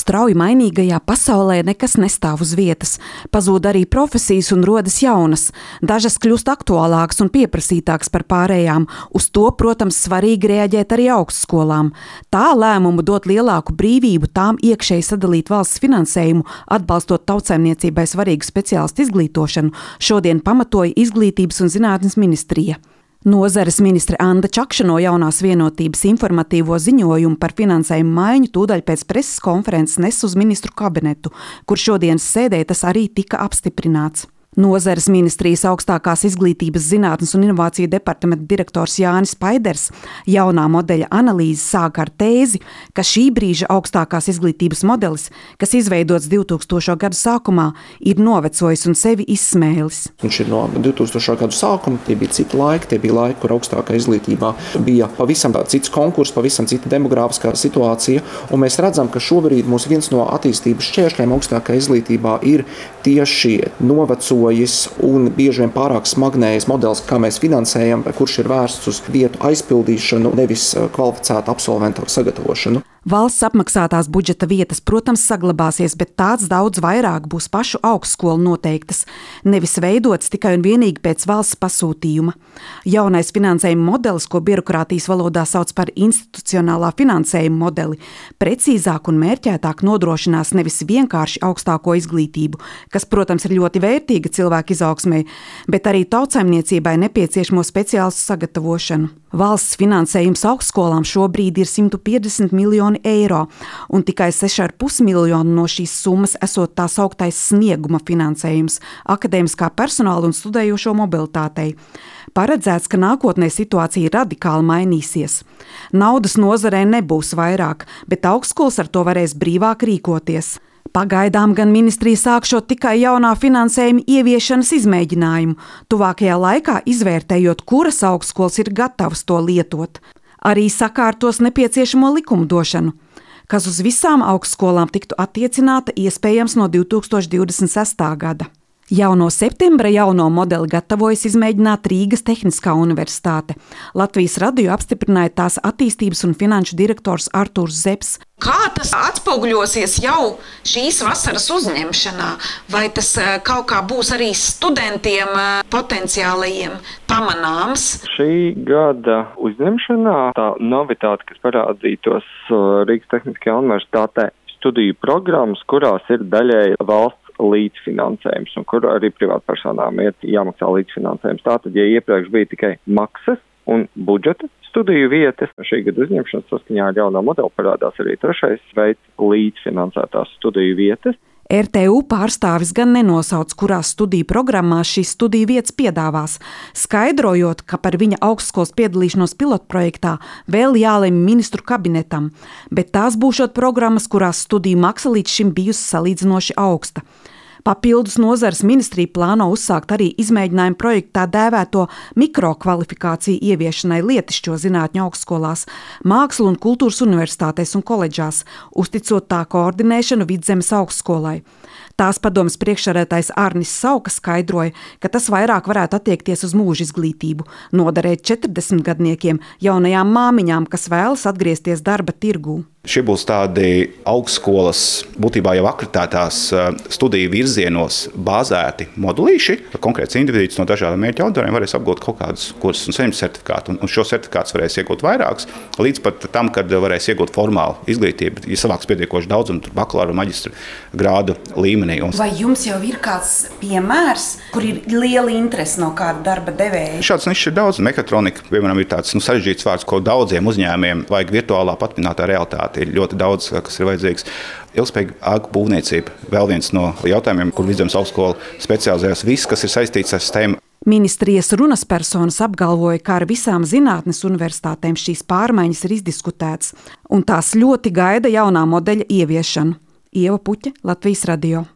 Strauji mainīgajā pasaulē nekas nestāv uz vietas. Pazūd arī profesijas un rodas jaunas. Dažas kļūst aktuālākas un pieprasītākas par pārējām. Uz to, protams, svarīgi reaģēt arī augstskolām. Tā lēmumu dot lielāku brīvību tām iekšēji sadalīt valsts finansējumu, atbalstot tautsaimniecībai svarīgu speciālistu izglītošanu, šodien pamatoja Izglītības un zinātnes ministrija. Nozares ministre Anda Čakša no Jaunās vienotības informatīvo ziņojumu par finansējumu maiņu tūdaļ pēc preses konferences nes uz ministru kabinetu, kur šodienas sēdē tas arī tika apstiprināts. Nozares ministrijas augstākās izglītības zinātnes un inovāciju departamenta direktors Jānis Paiders jaunā modeļa analīzi sāka ar tēzi, ka šī brīža augstākās izglītības modelis, kas izveidots 2000. gadu sākumā, ir novecojis un sevi izsmēlis. Viņš ir no 2000. gadu sākuma, tie bija citi laiki, kur augstākā izglītībā bija pavisam cits konkurss, pavisam cita demogrāfiskā situācija, un mēs redzam, ka šobrīd mūs viens no attīstības šķēršļiem augstākā izglītībā ir tieši novecojis un bieži vien pārāk smagnējs modelis, kā mēs finansējam, kurš ir vērsts uz vietu aizpildīšanu, nevis kvalificētu absolventu sagatavošanu. Valsts apmaksātās budžeta vietas, protams, saglabāsies, bet tāds daudz vairāk būs pašu augstskolu noteiktas, nevis veidots tikai un vienīgi pēc valsts pasūtījuma. Jaunais finansējuma modelis, ko birokrātijas valodā sauc par institucionālā finansējuma modeli, precīzāk un mērķētāk nodrošinās nevis vienkārši augstāko izglītību, kas, protams, ir ļoti vērtīga cilvēku izaugsmei, bet arī tautsaimniecībai nepieciešamo speciālistu sagatavošanu. Valsts finansējums augstskolām šobrīd ir 150 miljoni eiro, un tikai 6,5 miljoni no šīs summas esot tā sauktais snieguma finansējums akadēmiskā personāla un studējošo mobilitātei. Paredzēts, ka nākotnē situācija radikāli mainīsies. Naudas nozarē nebūs vairāk, bet augstskolas ar to varēs brīvāk rīkoties. Pagaidām gan ministrija sākšot tikai jaunā finansējuma ieviešanas izmēģinājumu, tuvākajā laikā izvērtējot, kuras augstskolas ir gatavas to lietot. Arī sakārtos nepieciešamo likumdošanu, kas uz visām augstskolām tiktu attiecināta iespējams no 2026. gada. Jau no septembra jauno modeli gatavojas izmēģināt Rīgas Tehniskā universitāte. Latvijas radio apstiprināja tās attīstības un finanšu direktors Artūrs Zepes. Kā tas atspoguļosies jau šīs vasaras uzņemšanā? Vai tas kaut kā būs arī studentiem potenciālajiem pamanāms? Šī gada uzņemšanā tā novitāte, kas parādītos Rīgas Tehniskajā universitātē, studiju programmas, kurās ir daļēji valsts līdzfinansējums, un kur arī privātpersonām ir jāmaksā līdzfinansējums. Tātad, ja iepriekš bija tikai maksas un budžeta studiju vietas, šī gada uzņemšanas saskaņā ar jauno modeli parādās arī trešais veids līdzfinansētās studiju vietas. RTU pārstāvis gan nenosauc, kurās studiju programmās šīs studiju vietas piedāvās, skaidrojot, ka par viņa augstskolas piedalīšanos pilotprojektā vēl jālemj ministru kabinetam, bet tās būšot programmas, kurās studiju maksa līdz šim bijusi salīdzinoši augsta. Papildus nozares ministrija plāno uzsākt arī izmēģinājumu projektu tā dēvēto mikrokvalifikāciju ieviešanai lietišķo zinātņu augstskolās, mākslu un kultūras universitātēs un koledžās, uzticot tā koordinēšanu Vidzemes augstskolai. Tās padomes priekšsēdētājs Arnis Sauka skaidroja, ka tas vairāk varētu attiekties uz mūža izglītību, noderēt 40-gadniekiem, jaunajām māmiņām, kas vēlas atgriezties darba tirgū. Šie būs tādi augstskolas, būtībā jau akreditētās studiju virzienos bāzēti modulīši. Konkrēts individus no dažādiem mērķa auditoriem varēs apgūt kaut kādus kursus un saņemt certifikātu. Un šo certifikātus varēs iegūt vairākus, līdz pat tam, kad varēs iegūt formālu izglītību, ja savāks pietiekoši daudz un bakalaura un maģistra grādu līmenī. Vai jums jau ir kāds piemērs, kur ir liela interese no kāda darba devēja? Šāds nišs ir daudz. Mekatronika, piemēram, ir tāds sarežģīts vārds, ko daudziem uzņēmējiem vajag virtuālā patminātā realitāte. Ir ļoti daudz, kas ir vajadzīgs. Ilgspējīga ēku būvniecība, vēl viens no jautājumiem, kur Vidzemes augstskola specializējas. Viss, kas ir saistīts ar STEM. Ministrijas runas personas apgalvoja, ka ar visām zinātnes universitātēm šīs pārmaiņas ir izdiskutētas, un tās ļoti gaida jaunā modeļa ieviešanu. Ieva Puķe, Latvijas radio.